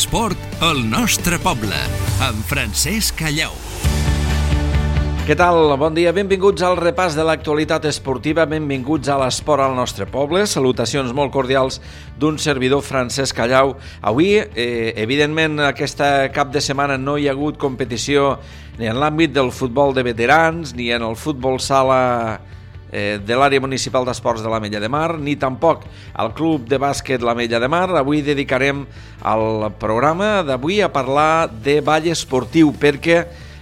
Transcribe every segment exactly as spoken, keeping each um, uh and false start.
L'esport al nostre poble, amb Francesc Callau. Què tal? Bon dia, benvinguts al repàs de l'actualitat esportiva, benvinguts a l'esport al nostre poble. Salutacions molt cordials d'un servidor, Francesc Callau. Avui, eh, evidentment, aquesta cap de setmana no hi ha hagut competició ni en l'àmbit del futbol de veterans, ni en el futbol sala eh, de l'àrea municipal d'esports de l'Ametlla de Mar, ni tampoc al club de bàsquet l'Ametlla de Mar. Avui dedicarem el programa d'avui a parlar de ball esportiu, perquè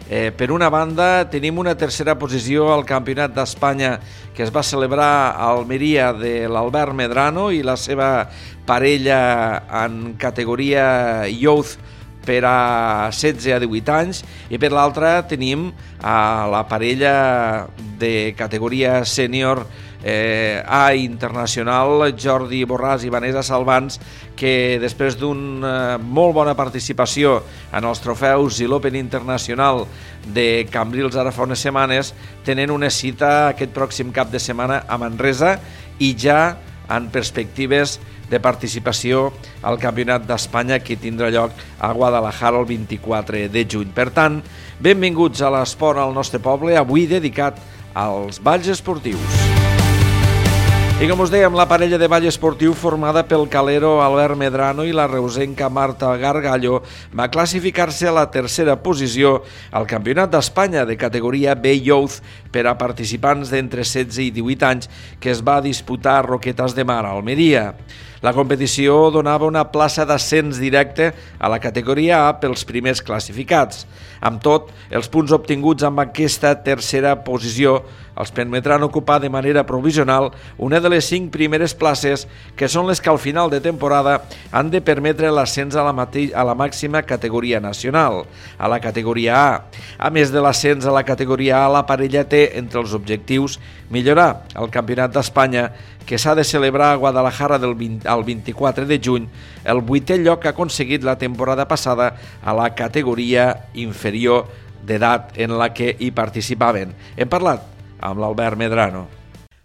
Eh, per una banda, tenim una tercera posició al Campionat d'Espanya que es va celebrar a Almeria de l'Albert Medrano i la seva parella en categoria Youth per a setze a divuit anys, i per l'altra tenim a la parella de categoria sènior eh, A internacional, Jordi Borràs i Vanessa Salvans, que després d'una molt bona participació en els trofeus i l'Open Internacional de Cambrils ara fa unes setmanes, tenen una cita aquest pròxim cap de setmana a Manresa i ja en perspectives de participació al Campionat d'Espanya que tindrà lloc a Guadalajara el vint-i-quatre de juny. Per tant, benvinguts a l'esport al nostre poble, avui dedicat als balls esportius. I com us dèiem, la parella de ball esportiu formada pel calero Albert Medrano i la reusenca Marta Gargallo va classificar-se a la tercera posició al Campionat d'Espanya de categoria B Youth per a participants d'entre setze i divuit anys que es va disputar a Roquetes de Mar, a Almeria. La competició donava una plaça d'ascens directe a la categoria A pels primers classificats. Amb tot, els punts obtinguts amb aquesta tercera posició els permetran ocupar de manera provisional una de les cinc primeres places que són les que al final de temporada han de permetre l'ascens a la, mate- a la màxima categoria nacional, a la categoria A. A més de l'ascens a la categoria A, la parella té entre els objectius millorar el Campionat d'Espanya que s'ha de celebrar a Guadalajara del vint, al vint-i-quatre de juny, el vuitè lloc que ha aconseguit la temporada passada a la categoria inferior d'edat en la que hi participaven. Hem parlat amb l'Albert Medrano.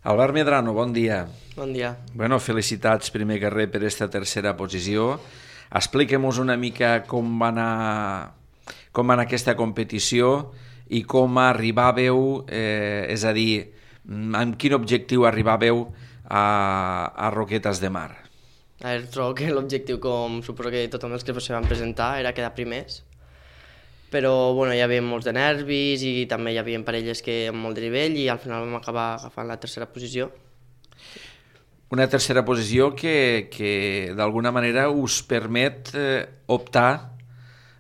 Albert Medrano, bon dia. Bon dia. Bueno, felicitats primer que res per aquesta tercera posició. Expliquem-nos una mica com va anar, com va anar aquesta competició i com arribàveu, eh, és a dir, amb quin objectiu arribàveu a, a Roquetes de Mar. A veure, trobo que l'objectiu, com suposo que tothom els que se van presentar, era quedar primers. Però bueno, hi havia molts de nervis i també hi havia parelles que amb molt de nivell i al final vam acabar agafant la tercera posició. Una tercera posició que, que d'alguna manera us permet eh, optar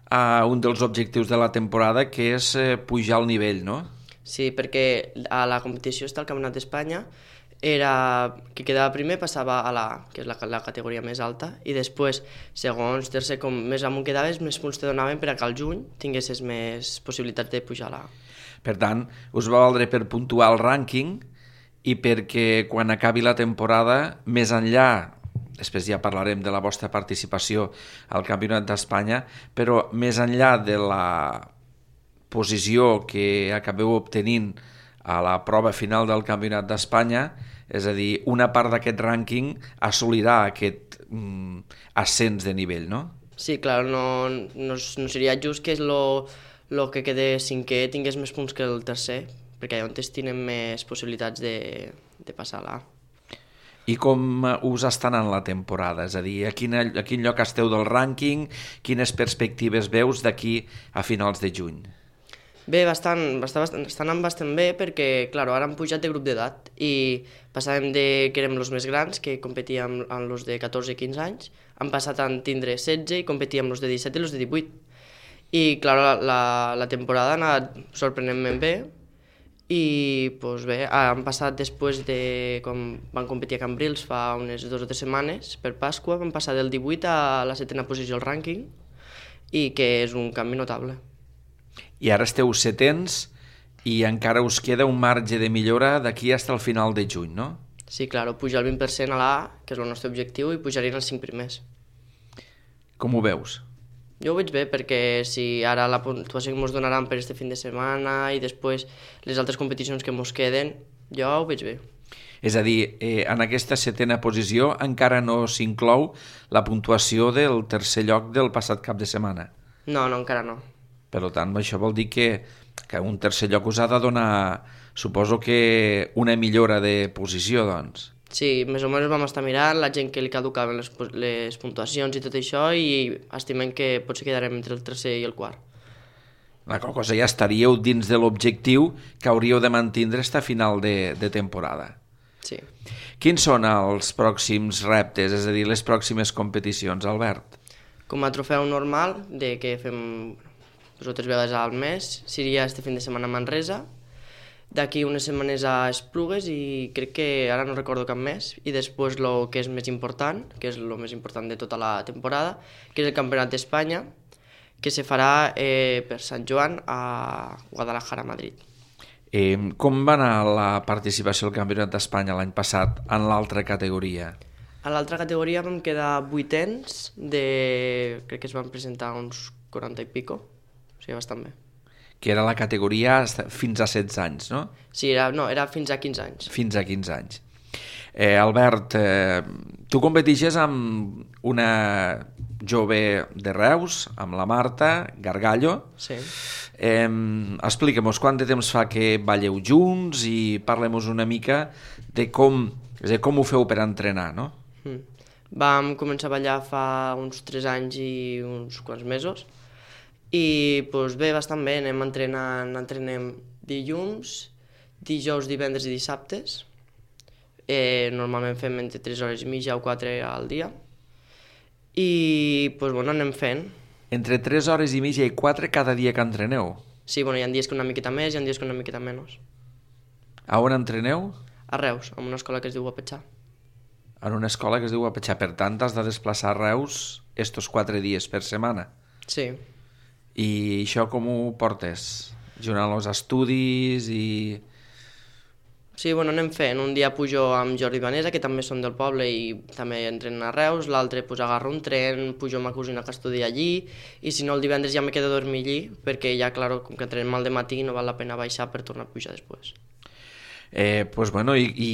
a un dels objectius de la temporada, que és eh, pujar el nivell, no? Sí, perquè a la competició està el Campionat d'Espanya, era qui quedava primer passava a la A, que és la, la categoria més alta, i després, segons, tercer, com més amunt quedaves, més punts te donaven per a que al juny tinguessis més possibilitats de pujar a la A. Per tant, us va valdre per puntuar el rànquing i perquè quan acabi la temporada, més enllà, després ja parlarem de la vostra participació al Campionat d'Espanya, però més enllà de la posició que acabeu obtenint a la prova final del Campionat d'Espanya, és a dir, una part d'aquest rànquing assolirà aquest mm, ascens de nivell, no? Sí, clar, no, no, no seria just que lo, lo que quede cinquè tingués més punts que el tercer, perquè allà on tenen més possibilitats de, de passar a l'A. I com us està anant la temporada? És a dir, a quin, a quin lloc esteu del rànquing? Quines perspectives veus d'aquí a finals de juny? Bé, bastant, bastant, estan anant bastant bé perquè, clar, ara han pujat de grup d'edat i passàvem de que érem els més grans, que competíem amb els de catorze i quinze anys, han passat a tindre setze i competíem amb els de disset i els de divuit. I, clar, la, la, la temporada ha anat sorprenentment bé i, doncs bé, han passat després de com van competir a Cambrils fa unes dues o tres setmanes, per Pasqua, van passar del divuit a la setena posició al rànquing i que és un canvi notable. I ara esteu setens i encara us queda un marge de millora d'aquí fins al final de juny, no? Sí, clar, pujar el vint per cent a l'A, que és el nostre objectiu, i pujarien els cinc primers. Com ho veus? Jo ho veig bé perquè si ara la puntuació que ens donaran per este fin de setmana i després les altres competicions que ens queden, jo ho veig bé. És a dir, eh, en aquesta setena posició encara no s'inclou la puntuació del tercer lloc del passat cap de setmana. No, no, encara no. Per tant, això vol dir que, que un tercer lloc us ha de donar, suposo que una millora de posició, doncs. Sí, més o menys vam estar mirant la gent que li caducaven les, les puntuacions i tot això i estimem que potser quedarem entre el tercer i el quart. La qual cosa ja estaríeu dins de l'objectiu que hauríeu de mantindre fins a final de, de temporada. Sí. Quins són els pròxims reptes, és a dir, les pròximes competicions, Albert? Com a trofeu normal, de que fem dues o tres vegades al mes, seria este fin de setmana a Manresa, d'aquí unes setmanes a Esplugues i crec que ara no recordo cap més, i després el que és més important, que és el més important de tota la temporada, que és el Campionat d'Espanya, que se farà eh, per Sant Joan a Guadalajara, Madrid. Eh, com va anar la participació al Campionat d'Espanya l'any passat en l'altra categoria? A l'altra categoria vam quedar vuitens de... crec que es van presentar uns quaranta i pico, o sigui, bastant bé. Que era la categoria fins a setze anys, no? Sí, era, no, era fins a quinze anys. Fins a quinze anys. Eh, Albert, eh, tu competixes amb una jove de Reus, amb la Marta Gargallo. Sí. Eh, Explica-mos quant de temps fa que balleu junts i parlem-nos una mica de com, és a dir, com ho feu per entrenar, no? Mm. Vam començar a ballar fa uns tres anys i uns quants mesos i doncs, bé, bastant bé, anem entrenant, entrenem dilluns, dijous, divendres i dissabtes. Eh, normalment fem entre tres hores i mitja o quatre al dia i doncs, bueno, anem fent. Entre tres hores i mitja i quatre cada dia que entreneu? Sí, bueno, hi ha dies que una miqueta més i hi ha dies que una miqueta menys. A on entreneu? A Reus, en una escola que es diu Apetxà. En una escola que es diu Apetxà, per tant has de desplaçar a Reus estos quatre dies per setmana. Sí. I això com ho portes? Jugant els estudis i... Sí, bueno, anem fent. Un dia pujo amb Jordi i Vanessa, que també són del poble i també entrenen a Reus, l'altre pues, agarro un tren, pujo amb ma cosina que estudia allí, i si no el divendres ja me quedo a dormir allí, perquè ja, claro, com que entrenem al matí no val la pena baixar per tornar a pujar després. Eh, pues bueno, i, i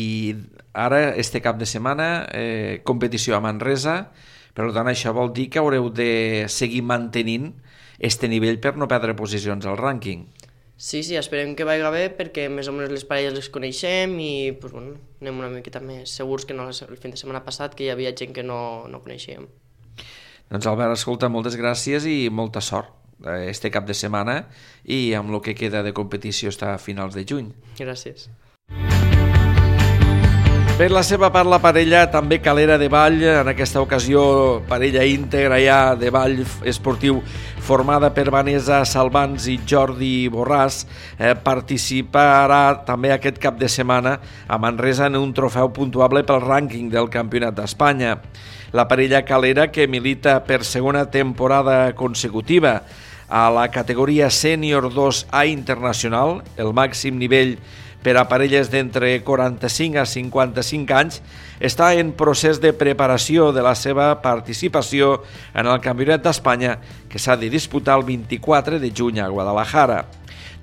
ara, este cap de setmana, eh, competició a Manresa, per tant això vol dir que haureu de seguir mantenint este nivell per no perdre posicions al rànquing. Sí, sí, esperem que vagi bé perquè més o menys les parelles les coneixem i pues, bueno, anem una miqueta més segurs que no el fin de setmana passat, que hi havia gent que no, no coneixíem. Doncs Albert, escolta, moltes gràcies i molta sort este cap de setmana i amb el que queda de competició està a finals de juny. Gràcies. Per la seva part, la parella també calera de ball, en aquesta ocasió parella íntegra ja de ball esportiu formada per Vanessa Salvans i Jordi Borràs, eh, participarà també aquest cap de setmana a Manresa en un trofeu puntuable pel rànquing del Campionat d'Espanya. La parella calera, que milita per segona temporada consecutiva a la categoria Sènior dos A internacional, el màxim nivell per a parelles d'entre quaranta-cinc a cinquanta-cinc anys, està en procés de preparació de la seva participació en el Campionat d'Espanya, que s'ha de disputar el vint-i-quatre de juny a Guadalajara.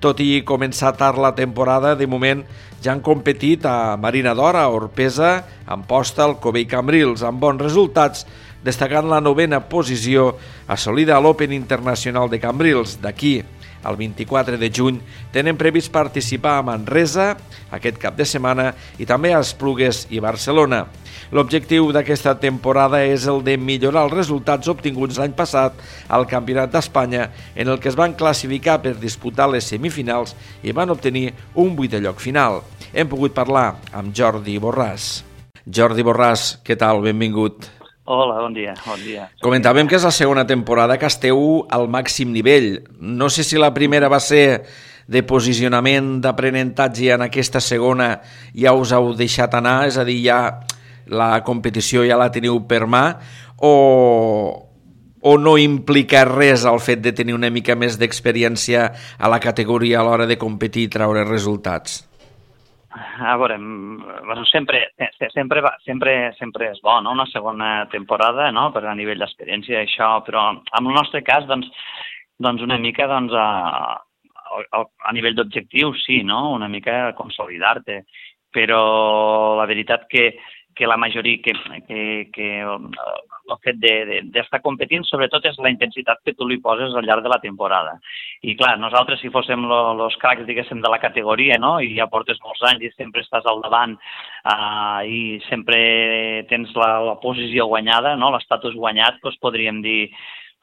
Tot i començar tard la temporada, de moment ja han competit a Marina d'Or, a Orpesa, a Amposta, Alcover i Cambrils, amb bons resultats, destacant la novena posició assolida a l'Open Internacional de Cambrils. D'aquí el vint-i-quatre de juny tenen previst participar a Manresa aquest cap de setmana i també a Esplugues i Barcelona. L'objectiu d'aquesta temporada és el de millorar els resultats obtinguts l'any passat al Campionat d'Espanya, en el que es van classificar per disputar les semifinals i van obtenir un vuitè lloc final. Hem pogut parlar amb Jordi Borràs. Jordi Borràs, què tal? Benvingut. Hola, bon dia, bon dia. Comentàvem que és la segona temporada que esteu al màxim nivell. No sé si la primera va ser de posicionament, d'aprenentatge, i en aquesta segona ja us heu deixat anar, és a dir, ja la competició ja la teniu per mà, o, o no implica res el fet de tenir una mica més d'experiència a la categoria a l'hora de competir i treure resultats? A veure, bueno, sempre, sempre, sempre, sempre és bo, no?, una segona temporada, no?, per a nivell d'experiència i això, però en el nostre cas, doncs, doncs una mica, doncs, a, a, a nivell d'objectiu, sí, no?, una mica consolidar-te, però la veritat que que la majoria, que, que, que el fet d'estar competint, sobretot és la intensitat que tu li poses al llarg de la temporada. I clar, nosaltres si fóssim els cracs, diguéssim, de la categoria, no?, i ja portes molts anys i sempre estàs al davant uh, i sempre tens la, la posició guanyada, no?, l'estatus guanyat, doncs podríem dir,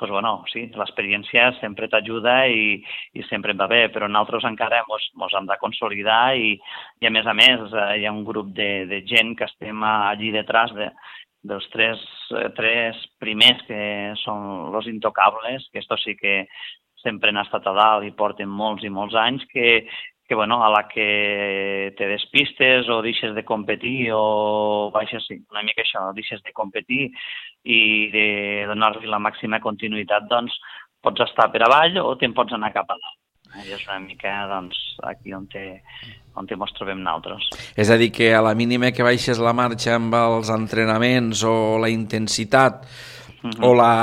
pues bueno, sí, l'experiència sempre t'ajuda i, i sempre va bé, però nosaltres encara mos, mos hem de consolidar i, i a més a més eh, hi ha un grup de, de gent que estem allí detrás de, dels tres, tres primers que són los intocables, que estos sí que sempre han estat a dalt i porten molts i molts anys, que, que bueno, a la que te despistes o deixes de competir o baixes, sí, una mica això, deixes de competir i de donar-li la màxima continuïtat, doncs pots estar per avall o te'n pots anar cap a dalt. I és una mica, doncs, aquí on te, on te mos trobem nosaltres. És a dir, que a la mínima que baixes la marxa amb els entrenaments o la intensitat uh-huh. o, la,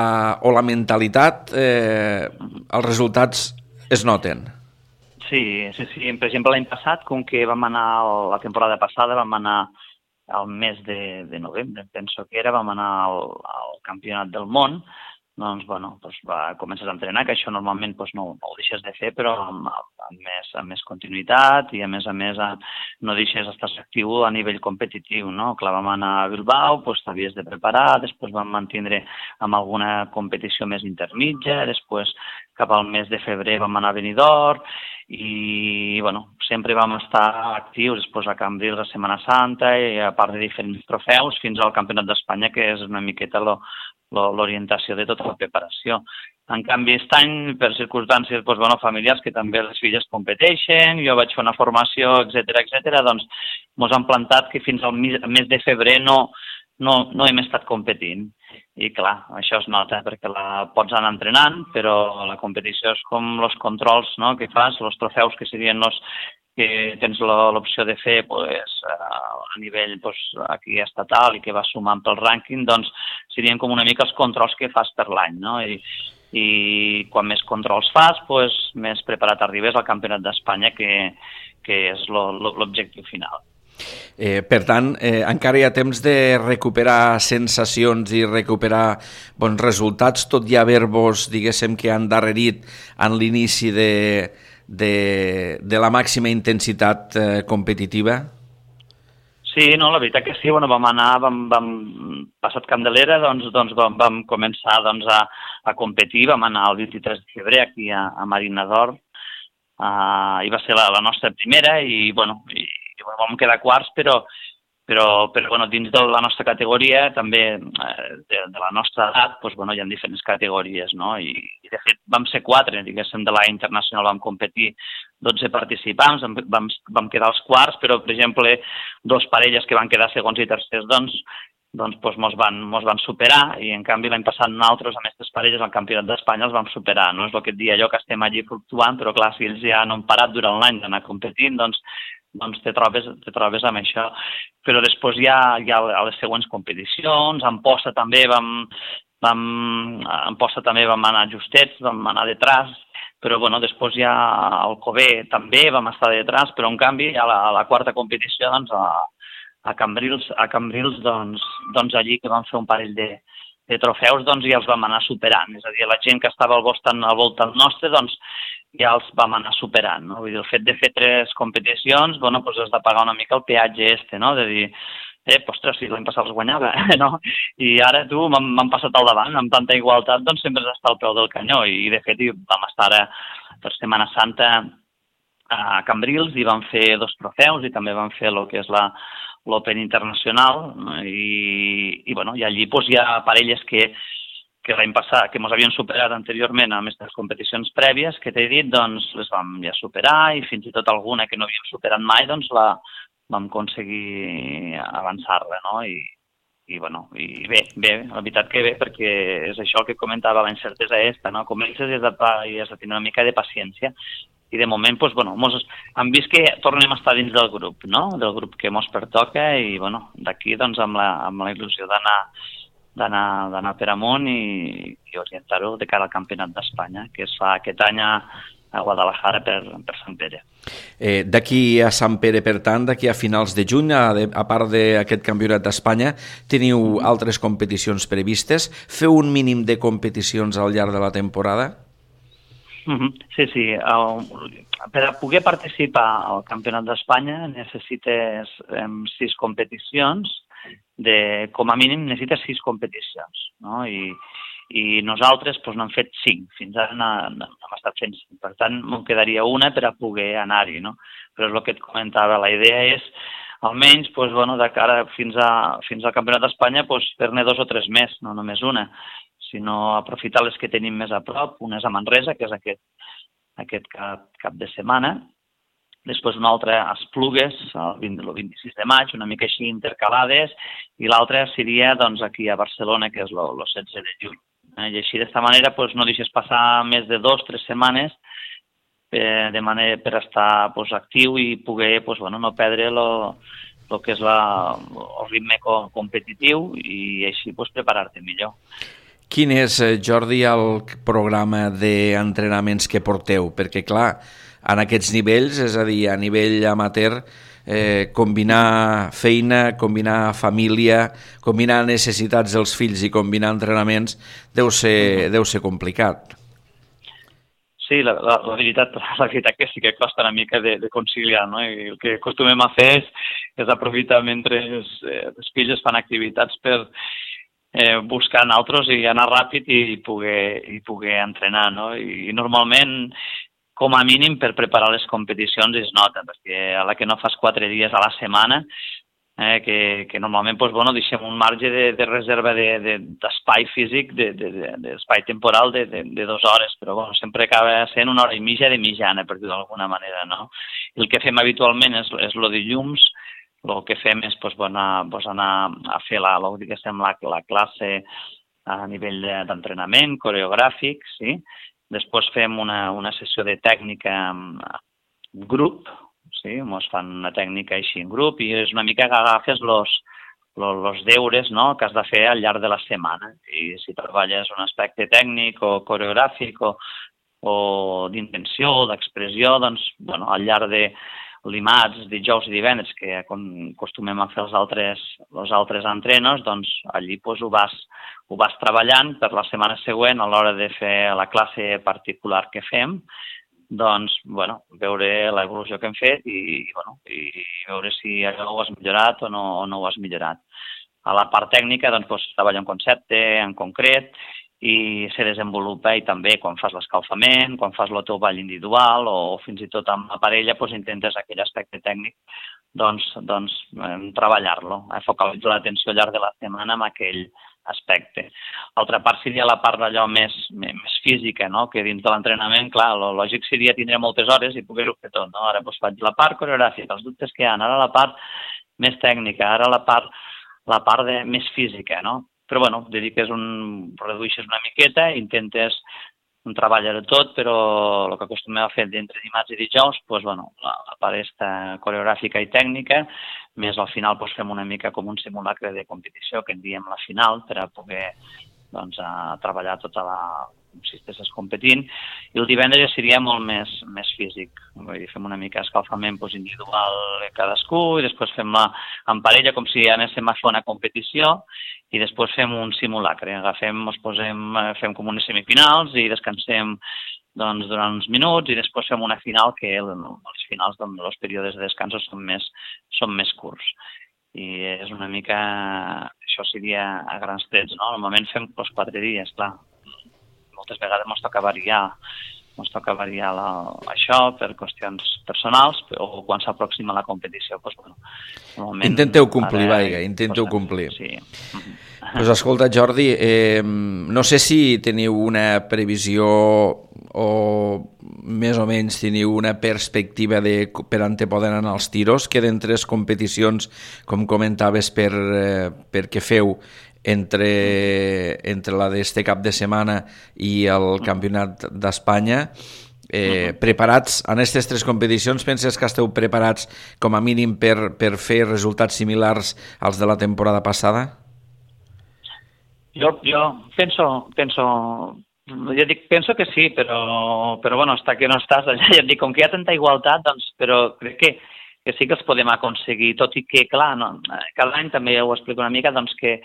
o la mentalitat, eh, els resultats es noten. Sí, sí, sí. Per exemple, l'any passat, com que vam anar, la temporada passada, vam anar al mes de, de novembre, penso que era, vam anar al, al campionat del món, doncs, bueno, doncs va, comences a entrenar, que això normalment doncs, no, no ho deixes de fer, però amb, amb, més, amb més continuïtat i, a més a més, no deixes d'estar actiu a nivell competitiu, no? Clar, vam anar a Bilbao, doncs t'havies de preparar, després vam mantindre amb alguna competició més intermitja, després cap al mes de febrer vam anar a Benidorm, i, bueno, sempre vam estar actius després a Cambrils a Setmana Santa i a part de diferents trofeus fins al Campionat d'Espanya, que és una miqueta lo, lo, l'orientació de tota la preparació. En canvi, aquest any, per circumstàncies doncs, bueno, familiars, que també les filles competeixen, jo vaig fer una formació, etcètera, etcètera, doncs mos han plantat que fins al mes de febrer no, no, no hem estat competint. I clar, això es nota perquè la pots anar entrenant, però la competició és com els controls, no?, que fas, els trofeus que serien els que tens l'opció de fer pues, a nivell pues, aquí estatal i que vas sumant pel rànquing, doncs serien com una mica els controls que fas per l'any, no? I, i quan més controls fas, pues, més preparat arribes al Campionat d'Espanya, que, que és l'objectiu final. Eh, per tant, eh, encara hi ha temps de recuperar sensacions i recuperar bons resultats, tot i haver-vos, diguéssim, que han darrerit en l'inici de, de, de la màxima intensitat eh, competitiva? Sí, no, la veritat que sí, bueno, vam anar, vam, vam passat Candelera, doncs, doncs vam, vam començar doncs, a, a competir, vam anar el vint-i-tres de febrer aquí a, a Marina d'Or, uh, i va ser la, la nostra primera, i bueno, i, i bueno, vam quedar quarts, però, però, però bueno, dins de la nostra categoria, també eh, de, de la nostra edat, doncs, bueno, hi ha diferents categories, no? I, i de fet vam ser quatre, diguéssim, de la internacional vam competir dotze participants, vam, vam quedar als quarts, però, per exemple, dos parelles que van quedar segons i tercers, doncs, doncs, doncs mos, van, mos van superar, i en canvi l'any passat nosaltres, amb aquestes parelles, al Campionat d'Espanya els vam superar, no? És el que et dia allò que estem allí fluctuant, però clar, si ells ja no han parat durant l'any d'anar competint, doncs, doncs te trobes, te trobes amb això. Però després hi ha, hi ha les següents competicions, en posta també vam, vam, en posta també vam anar justets, vam anar detrás, però bueno, després ja al Cové també vam estar detrás, però en canvi a la, a la quarta competició, doncs, a, a Cambrils, a Cambrils doncs, doncs allí que vam fer un parell de, de trofeus, doncs ja els vam anar superant. És a dir, la gent que estava al voltant, al voltant nostre, doncs ja els vam anar superant, no? Vull dir, el fet de fer tres competicions, bueno, doncs has de pagar una mica el peatge este, no? De dir, eh, ostres, si l'any passat els guanyava, no? I ara tu m'han passat al davant, amb tanta igualtat, doncs sempre has d'estar al peu del canyó, i de fet vam estar ara per Setmana Santa a Cambrils i vam fer dos trofeus i també vam fer el que és la l'Open Internacional, i, i, bueno, i allí doncs, hi ha parelles que que l'any passat, que ens havien superat anteriorment amb aquestes competicions prèvies que t'he dit, doncs les vam ja superar, i fins i tot alguna que no havíem superat mai, doncs la vam aconseguir avançar-la, no? I, i, bueno, i bé, bé, la veritat que bé, perquè és això que comentava, la incertesa esta, no? Comences i has de, i has de tenir una mica de paciència, i de moment, doncs, bueno, mos, hem vist que tornem a estar dins del grup, no? Del grup que mos pertoca, i, bueno, d'aquí, doncs, amb la, amb la il·lusió d'anar d'anar d'anar per amunt i, i orientar-ho de cara al Campionat d'Espanya, que es fa aquest any a, a Guadalajara per, per Sant Pere. Eh, d'aquí a Sant Pere, per tant, d'aquí a finals de juny, a, de, a part d'aquest campionat d'Espanya, teniu altres competicions previstes? Feu un mínim de competicions al llarg de la temporada? Uh-huh. Sí, sí. El, per a poder participar al Campionat d'Espanya necessites um, sis competicions, de, com a mínim necessites sis competicions, no? I, i nosaltres doncs, n'hem fet cinc, fins ara n'hem estat fent cinc, per tant me'n quedaria una per a poder anar-hi, no? Però és el que et comentava, la idea és almenys doncs, bueno, de cara fins, a, fins al Campionat d'Espanya doncs, fer-ne dos o tres més, no només una, sinó aprofitar les que tenim més a prop. Una és a Manresa, que és aquest, aquest cap, cap de setmana, després una altra a Esplugues, el, vint, el vint-i-sis de maig, una mica així intercalades, i l'altra seria doncs, aquí a Barcelona, que és el setze de juny. I així, d'esta manera, doncs, no deixes passar més de dos o tres setmanes eh, de manera per estar doncs, actiu i poder doncs, bueno, no perdre el que és la, el ritme competitiu i així doncs, preparar-te millor. Quin és, Jordi, el programa d'entrenaments que porteu? Perquè, clar, en aquests nivells, és a dir, a nivell amateur, eh, combinar feina, combinar família, combinar necessitats dels fills i combinar entrenaments deu ser, deu ser complicat. Sí, la, la, la, veritat, la veritat que sí que costa una mica de, de conciliar, no? I el que acostumem a fer és, és aprofitar mentre els, eh, els fills fan activitats per eh, buscar altres i anar ràpid i poder, i poder entrenar, no? I, i normalment, com a mínim, per preparar les competicions es nota, perquè a la que no fas quatre dies a la setmana, eh, que, que normalment doncs, bueno, deixem un marge de, de reserva d'espai de, físic, d'espai de, de, temporal de, de, de dues hores, però bueno, sempre acaba sent una hora i mitja de mitjana, per dir-ho d'alguna manera, no? I el que fem habitualment és, és lo de llums, el que fem és doncs, bueno, doncs anar a fer la, la, la, la classe a nivell d'entrenament coreogràfic, sí? Després fem una, una sessió de tècnica en grup, sí? Ens fan una tècnica així en grup i és una mica que agafes los, los, los deures, no? Que has de fer al llarg de la setmana. I si treballes un aspecte tècnic o coreogràfic o, o d'intenció o d'expressió, doncs bueno, al llarg de dimarts, dijous i divendres, que acostumem a fer els altres, els altres entrenos, doncs allí doncs, ho, vas, ho vas treballant per la setmana següent a l'hora de fer la classe particular que fem, doncs, bueno, veure l'evolució que hem fet i, bueno, i veure si allò ho has millorat o no, o no ho has millorat. A la part tècnica, doncs, doncs treballa un concepte en concret i se desenvolupa i també quan fas l'escalfament, quan fas el teu ball individual o fins i tot amb la parella doncs intentes aquell aspecte tècnic doncs, doncs treballar-lo, eh, focalitzar l'atenció al llarg de la setmana en aquell aspecte. L'altra part seria la part d'allò més, més física, no? Que dins de l'entrenament, clar, el lògic seria tindre moltes hores i poder-ho fer tot, no? Ara doncs, faig la part coreogràfica, els dubtes que hi ha, ara la part més tècnica, ara la part, la part de, més física, no? Però, bueno, dediques un, redueixes una miqueta, intentes treballar tot, però el que acostumem a fer d'entre dimarts i dijous, doncs, bueno, la, la part esta coreogràfica i tècnica, més al final doncs, fem una mica com un simulacre de competició, que en diem la final, per a poder doncs, a treballar tota la, si estiguessis competint, i el divendres ja seria molt més, més físic. Vull dir, fem una mica escalfament doncs, individual de cadascú i després fem-la en parella com si anéssim a fer una competició i després fem un simulacre. Agafem, ens posem, fem com unes semifinals i descansem doncs, durant uns minuts i després fem una final que els finals dels períodes de descans són més, són més curts. I és una mica, això seria a grans trets, no? Normalment fem els quatre dies, clar. Moltes vegades ens toca variar, ens toca variar la, això per qüestions personals o quan s'aproxima la competició. Doncs, bueno, intenteu complir, ara, vaiga, intenteu doncs, complir. Sí. Pues escolta, Jordi, eh, no sé si teniu una previsió o més o menys teniu una perspectiva de, per on te poden anar els tiros. Queden tres competicions, com comentaves, per, eh, perquè feu entre, entre la d'este cap de setmana i el Campionat d'Espanya. Eh, preparats en aquestes tres competicions, penses que esteu preparats com a mínim per, per fer resultats similars als de la temporada passada? Jo, jo penso, penso, jo dic, penso que sí, però, però bueno, està que no estàs allà, ja et dic, com que hi ha tanta igualtat, doncs, però crec que, que sí que els podem aconseguir, tot i que, clar, no, cada any també ho explico una mica, doncs que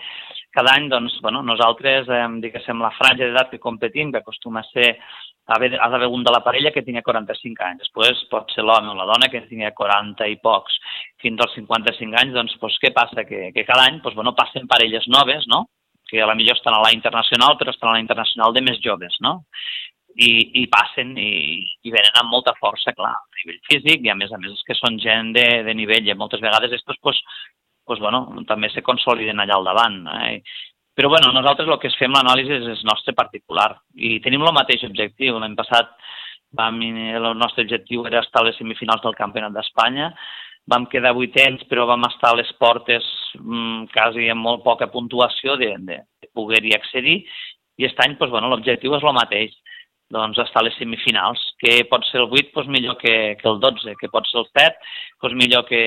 cada any, doncs, bueno, nosaltres, eh, diguéssim, la franja d'edat que competim, que acostuma a ser, ha d'haver un de la parella que tingui quaranta-cinc anys, després pot ser l'home o la dona que tingui quaranta i pocs, fins als cinquanta-cinc anys, doncs, doncs què passa? Que, que cada any, doncs, bueno, passen parelles noves, no?, que a la millor estan a la internacional, però estan a la internacional de més joves, no? I, i passen i, i venen amb molta força, clar, a nivell físic, i a més a més és que són gent de, de nivell, i moltes vegades estos, pues, pues, bueno, també se consoliden allà al davant. Eh? Però bueno, nosaltres el que fem l'anàlisi és el nostre particular, i tenim el mateix objectiu. L'any passat vam, el nostre objectiu era estar a les semifinals del Campionat d'Espanya, vam quedar vuitens, però vam estar a les portes mmm, quasi amb molt poca puntuació de, de, de poder-hi accedir, i aquest any, doncs, bueno, l'objectiu és el mateix, doncs estar a les semifinals, que pot ser el vuit, doncs millor que, que el dotze, que pot ser el set, doncs millor que,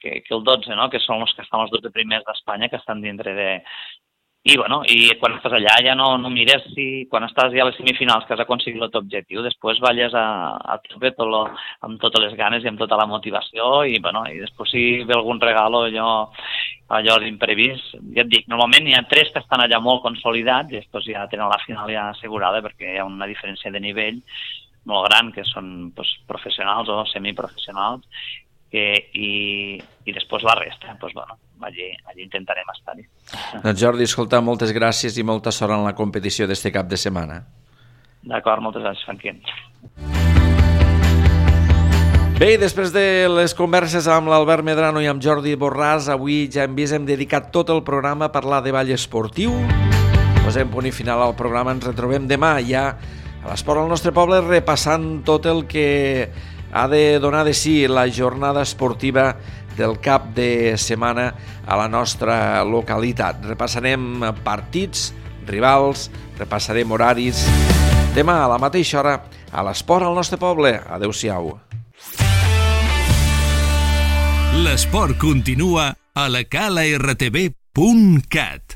que, que el dotze, no?, que són els que estan els dotze primers d'Espanya, que estan dintre de... I, bueno, i quan estàs allà ja no, no mires si quan estàs ja a les semifinals que has aconseguit el teu objectiu, després balles a, a tope tot lo, amb totes les ganes i amb tota la motivació i, bueno, i després si ve algun regalo allò, allò d'imprevist, ja et dic, normalment hi ha tres que estan allà molt consolidats i després ja tenen la final ja assegurada perquè hi ha una diferència de nivell molt gran, que són pues, professionals o semiprofessionals, que, i, i després la resta, doncs, bueno, allí, allí intentarem estar-hi. Doncs Jordi, escolta, moltes gràcies i molta sort en la competició d'este cap de setmana. D'acord, moltes gràcies, Franquín. Bé, després de les converses amb l'Albert Medrano i amb Jordi Borràs, avui ja hem vist, hem dedicat tot el programa a parlar de ball esportiu. Posem punt i final al programa, ens retrobem demà ja a l'Esport al nostre poble repassant tot el que ha de donar de si la jornada esportiva del cap de setmana a la nostra localitat. Repassarem partits, rivals, repassarem horaris. Demà a la mateixa hora a l'Esport al nostre poble. Adéu-siau. L'esport continua a la cala r t v punt cat.